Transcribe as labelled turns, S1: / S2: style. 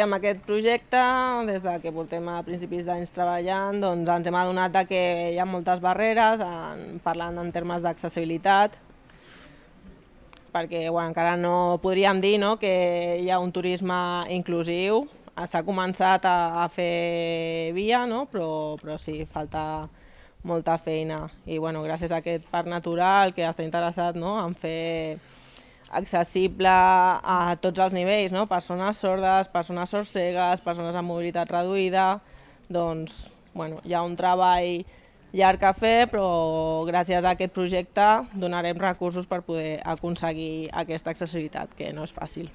S1: Amb aquest projecte, des que portem a principis d'anys treballant, doncs ens hem adonat que hi ha moltes barreres, parlant en termes d'accessibilitat, perquè encara no podríem dir que hi ha un turisme inclusiu. S'ha començat a fer via, però sí, falta molta feina. I gràcies a aquest parc natural que està interessat en fer accessible a tots els nivells, persones sordes, persones sordcegues, persones amb mobilitat reduïda, doncs hi ha un treball llarg a fer, però gràcies a aquest projecte donarem recursos per poder aconseguir aquesta accessibilitat, que no és fàcil.